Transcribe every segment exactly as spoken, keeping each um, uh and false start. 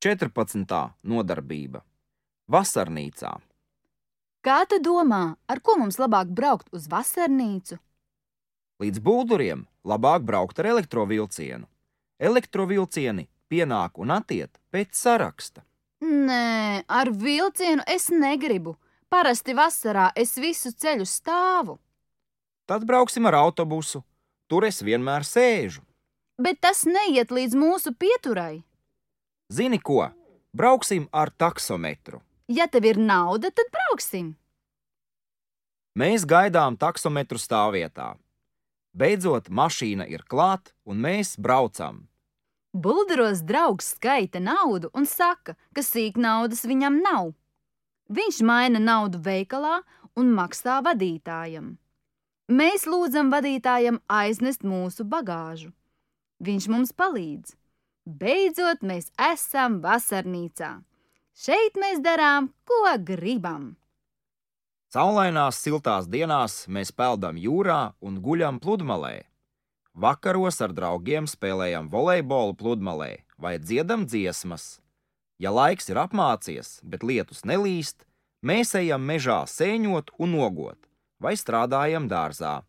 četrpadsmitā nodarbība – vasarnīcā. Kā tu domā, ar ko mums labāk braukt uz vasarnīcu? Līdz Bulduriem labāk braukt ar elektrovilcienu. Elektrovilcieni pienāk un attiet pēc saraksta. Nē, ar vilcienu es negribu. Parasti vasarā es visu ceļu stāvu. Tad brauksim ar autobusu. Tur es vienmēr sēžu. Bet tas neiet līdz mūsu pieturai. Zini ko? Brauksim ar taksometru. Ja tev ir nauda, tad brauksim. Mēs gaidām taksometru stāvvietā. Beidzot, mašīna ir klāt, un mēs braucam. Bulduros draugs skaita naudu un saka, ka sīk naudas viņam nav. Viņš maina naudu veikalā un maksā vadītājam. Mēs lūdzam vadītājam aiznest mūsu bagāžu. Viņš mums palīdz. Beidzot, mēs esam vasarnīcā. Šeit mēs darām, ko gribam. Saulainās siltās dienās mēs peldam jūrā un guļam pludmalē. Vakaros ar draugiem spēlējam volejbolu pludmalē vai dziedam dziesmas. Ja laiks ir apmācies, bet lietus nelīst, mēs ejam mežā sēņot un nogot vai strādājam dārzā.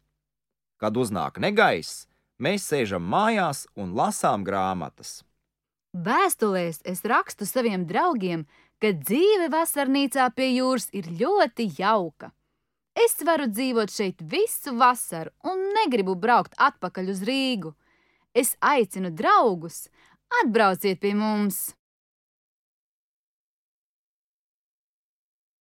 Kad uznāk negaiss, mēs sēžam mājās un lasām grāmatas. Vēstulēs es rakstu saviem draugiem, ka dzīve vasarnīcā pie jūras ir ļoti jauka. Es varu dzīvot šeit visu vasaru un negribu braukt atpakaļ uz Rīgu. Es aicinu draugus, atbrauciet pie mums!